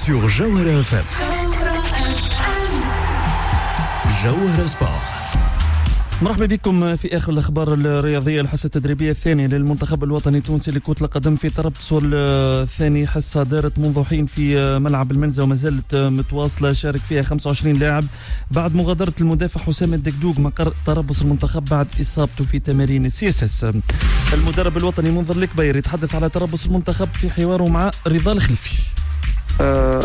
Sur Jawhara FM. Jawhara Sport. مرحبا بكم في اخر الاخبار الرياضية. الحصة التدريبية الثانية للمنتخب الوطني التونسي لكرة القدم في تربصه الثاني، حصة دارت منذ حين في ملعب المنزه وما زالت متواصلة، شارك فيها 25 لاعب بعد مغادرة المدافع حسام الدقدوق مقر تربص المنتخب بعد اصابته في تمارين ال CSS. المدرب الوطني منذر الكبير يتحدث على تربص المنتخب في حواره مع رضا الخلفي.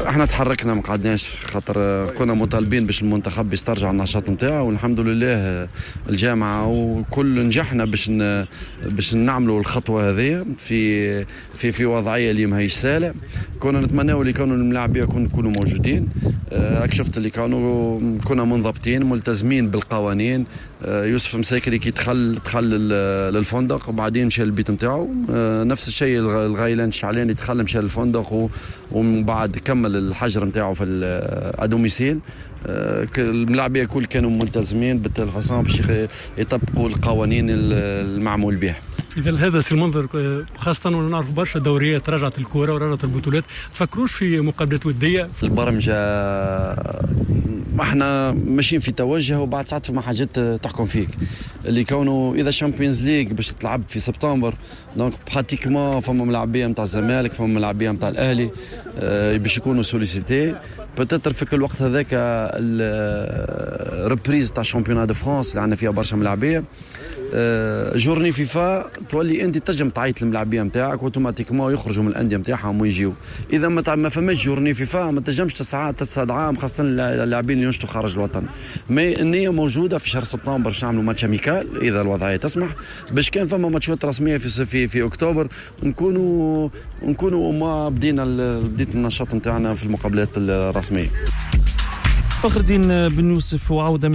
احنا تحركنا ما قعدناش، خاطر كنا مطالبين باش المنتخب يسترجع النشاط نتاعو، والحمد لله الجامعة وكل نجحنا باش نعملوا الخطوة هذه في في في وضعية اللي ماهيش سهلة. كنا نتمناو اللي كانوا الملاعبيه يكونوا موجودين. شفت اللي كنا منضبطين ملتزمين بالقوانين. يوسف مساكري كي دخل للفندق وبعدين مشى للبيت نتاعو، نفس الشيء الغيلان الشعلاني دخل مشى للفندق ومن بعد كمل الحجر نتاعو في à domicile. الملاعبيه الكل كانوا ملتزمين بال façon باش يطبقوا القوانين المعمول بها. اذا هذا سي المنذر، خاصة ونعرف برشا دوريات رجعت الكورة ورجعت البطولات، تفكروش في مقابلات وديه؟ البرمجة احنا ماشيين في توجه، وبعد ساعات فما حاجات تحكم فيك اللي كونه اذا Champions League باش تلعب في سبتمبر، donc pratiquement فما ملاعبيه نتاع الزمالك، فما ملاعبيه نتاع الاهلي باش يكونوا sollicités peut-être في كل وقت هذاك. ال reprise تاع championnat de France اللي عندنا فيها برشا ملاعبيه، journée FIFA تولي انت تنجم تعيط للملاعبيه نتاعك automatiquement يخرجوا من الاندية نتاعهم ويجيو. اذا ما فماش journée FIFA ما تنجمش تستدعاهم، خاصة اللاعبين اللي ينشطوا خارج الوطن. mais النية موجودة في شهر سبتمبر باش نعملوا match amical اذا الوضعية تسمح، باش كان فما ماتشات رسمية في اكتوبر نكونوا ما بديت النشاط نتاعنا في المقابلات الرسمية. فخر الدين بن يوسف وعودة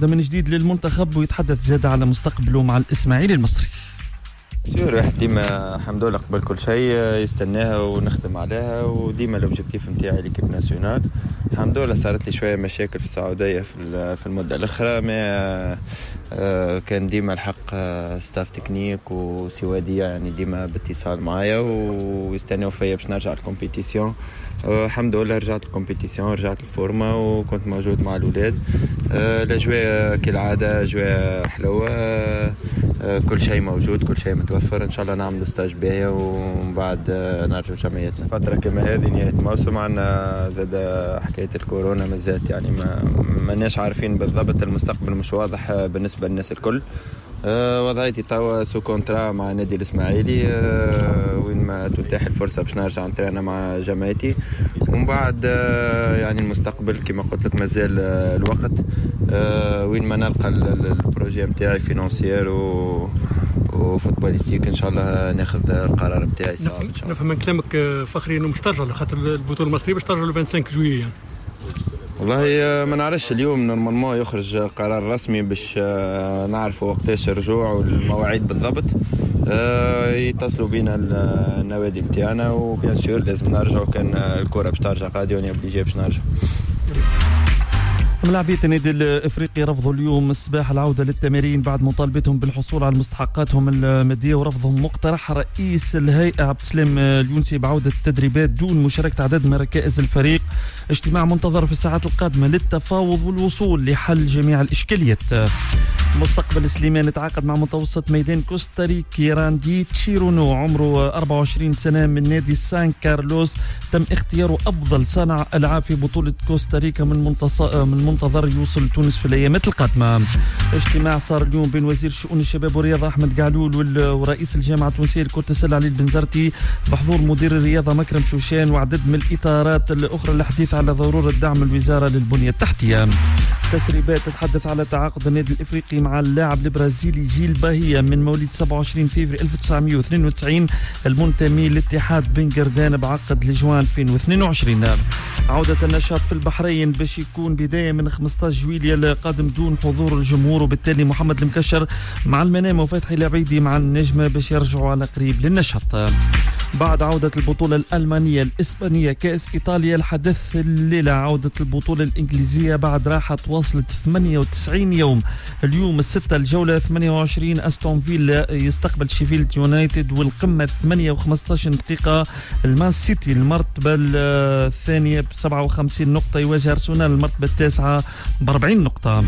من جديد للمنتخب، ويتحدث زاد على مستقبله مع الإسماعيلي المصري. sûr واحد ديما الحمد لله قبل كل شيء يستناها ونخدم عليها، وديما l'objectif نتاعي l'équipe nationale. الحمد لله صارت لي شوية مشاكل في السعودية في المدة الاخرى، mais كان ديما الحق staff technique وسي وديع يعني ديما باتصال معايا ويستناو فيا باش نرجع ال compétition. الحمد لله رجعت ال compétition، رجعت ال forme وكنت موجود مع الاولاد. الاجواء كالعادة اجواء حلوة، كل شيء موجود، كل شيء متوفر. ان شاء الله نعمل stage باهيه ومن بعد نرجعوا جمعيتنا. فترة كما هذه نهاية الموسم عندنا زاد حكاية الكورونا مازالت، يعني ما عارفين بالضبط، المستقبل مش واضح بالنسبة للناس الكل. وضعيتي توا sous contrat مع نادي الاسماعيلي، وين ما تتاح الفرصة باش نرجع نترينا مع جماعتي، ومن بعد يعني المستقبل كما قلت لك مازال الوقت، وين ما نلقى ال projet نتاعي financier و footballistique ان شاء الله ناخذ القرار نتاعي. نفهم من كلامك فخري انه مش ترجع خاطر البطولة المصرية باش ترجع ل 25 juillet يعني. والله ما نعرفش، اليوم normalement يخرج قرار رسمي باش نعرفوا وقتاش الرجوع والمواعيد بالضبط. يتصلوا بينا النوادي نتاعنا و bien sûr لازم نرجعوا، كان الكره باش ترجع غادي on est obligé باش نرجع. ملاعبية النادي الافريقي رفضوا اليوم الصباح العودة للتمارين بعد مطالبتهم بالحصول على مستحقاتهم المادية، ورفضهم مقترح رئيس الهيئة عبد السلام اليونسي بعوده التدريبات دون مشاركة عدد من ركائز الفريق. اجتماع منتظر في الساعات القادمة للتفاوض والوصول لحل جميع الاشكاليات. مستقبل سليمان تعاقد مع متوسط ميدان كوستاريكي راندي تشيرونو، عمره 24 سنة من نادي سان كارلوس، تم اختياره أفضل صانع ألعاب في بطولة كوستاريكا من منتظر يوصل تونس في الأيامات القادمة. اجتماع صار اليوم بين وزير شؤون الشباب والرياضة أحمد قعلول ورئيس الجامعة التونسية لكرة السلة علي البنزرتي بحضور مدير الرياضة مكرم شوشان وعدد من الإطارات الأخرى للحديث على ضرورة دعم الوزارة للبنية التحتية. تسريبات تتحدث على تعاقد النادي الإفريقي مع اللاعب البرازيلي جيل باهية من مواليد 27 فبراير 1992 المنتمي لاتحاد بن قردان بعقد لجوان 2022. عودة النشاط في البحرين باش يكون بداية من 15 جويلية القادم دون حضور الجمهور، وبالتالي محمد المكشر مع المنامة وفتحي العبيدي مع النجمة باش يرجعوا على قريب للنشاط. بعد عودة البطولة الألمانية، الإسبانية، كأس إيطاليا، الحدث الليلة عودة البطولة الإنجليزية بعد راحة وصلت 98 يوم. اليوم الستة الجولة 28 أستون فيلا يستقبل شيفيلد يونايتد، والقمة 8:15 دقيقة المان سيتي المرتبة الثانية ب 57 نقطة يواجه أرسنال المرتبة التاسعة ب 40 نقطة.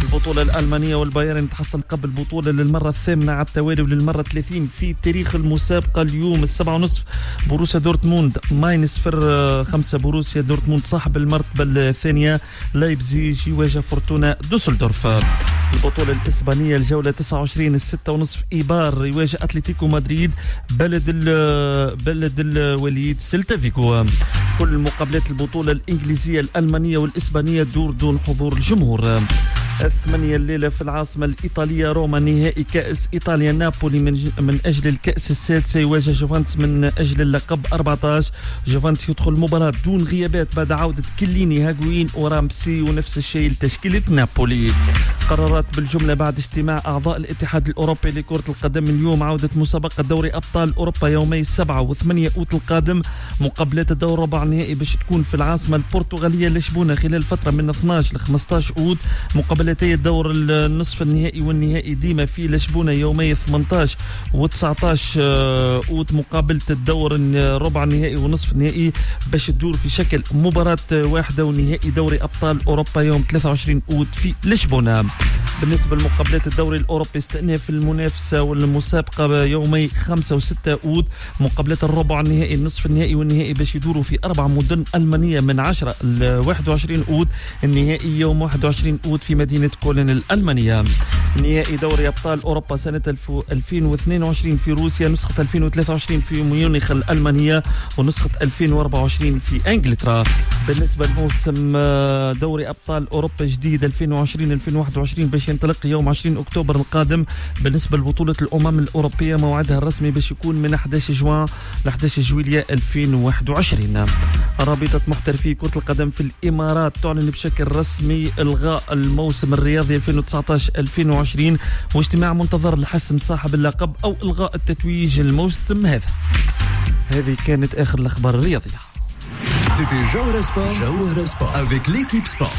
البطولة الألمانية والبايرن تحصل قبل البطولة للمرة الثامنة على التوالي وللمرة 30 في تاريخ المسابقة. اليوم 7:30 بروسيا دورتموند ماينز 5، بروسيا دورتموند صاحب المرتبة الثانية. لايبزيج يواجه فورتونا دوسلدورف. البطولة الإسبانية الجولة 29 6:30 إيبار يواجه أتلتيكو مدريد بلد الوليد سيلتا فيغو. كل مقابلات البطولة الإنجليزية الألمانية والإسبانية دور دون حضور الجمهور. 8 الليلة في العاصمة الإيطالية روما نهائي كأس إيطاليا، نابولي من أجل الكأس السادسة يواجه جوفانتس من أجل اللقب 14. جوفانتس يدخل المباراة دون غيابات بعد عودة كليني هاغوين ورامسي، ونفس الشيء لتشكيلة نابولي. قرارات بالجملة بعد اجتماع أعضاء الاتحاد الأوروبي لكرة القدم اليوم عودة مسابقة دوري أبطال أوروبا يومي 7 و8 أوت القادم. مقابلات الدور ربع النهائي باش تكون في العاصمة البرتغالية لشبونة خلال فترة من 12 ل 15 أوت. مقابلتي الدور النصف النهائي والنهائي ديما في لشبونة يومي 18 و19 أوت. مقابلة الدور الربع النهائي ونصف النهائي باش تدور في شكل مباراة واحدة، ونهائي دوري أبطال أوروبا يوم 23 أوت في لشبونة. بالنسبة لمقابلات الدوري الأوروبي استئناف المنافسة والمسابقة يومي 5 و6 أوت. مقابلات الربع النهائي النصف النهائي والنهائي باش يدوروا في 4 مدن ألمانية من 10 ل 21 أوت. النهائي يوم 21 أوت في مدينة كولن الألمانية. نهائي دوري أبطال أوروبا سنة 2022 في روسيا، نسخة 2023 في ميونخ الألمانية، ونسخة 2024 في إنجلترا. بالنسبة لموسم دوري أبطال أوروبا جديد 2020-2021 باش ينطلق يوم 20 أكتوبر القادم. بالنسبة لبطولة الأمم الأوروبية موعدها الرسمي باش يكون من 11 جوان ل 11 جويلية 2021. رابطة محترفي كرة القدم في الإمارات تعلن بشكل رسمي إلغاء الموسم الرياضي 2019-2020، واجتماع منتظر لحسم صاحب اللقب أو إلغاء التتويج الموسم هذا. هذه كانت آخر الأخبار الرياضية. C'était Jawhara Sport, Jawhara Sport avec l'équipe Sport.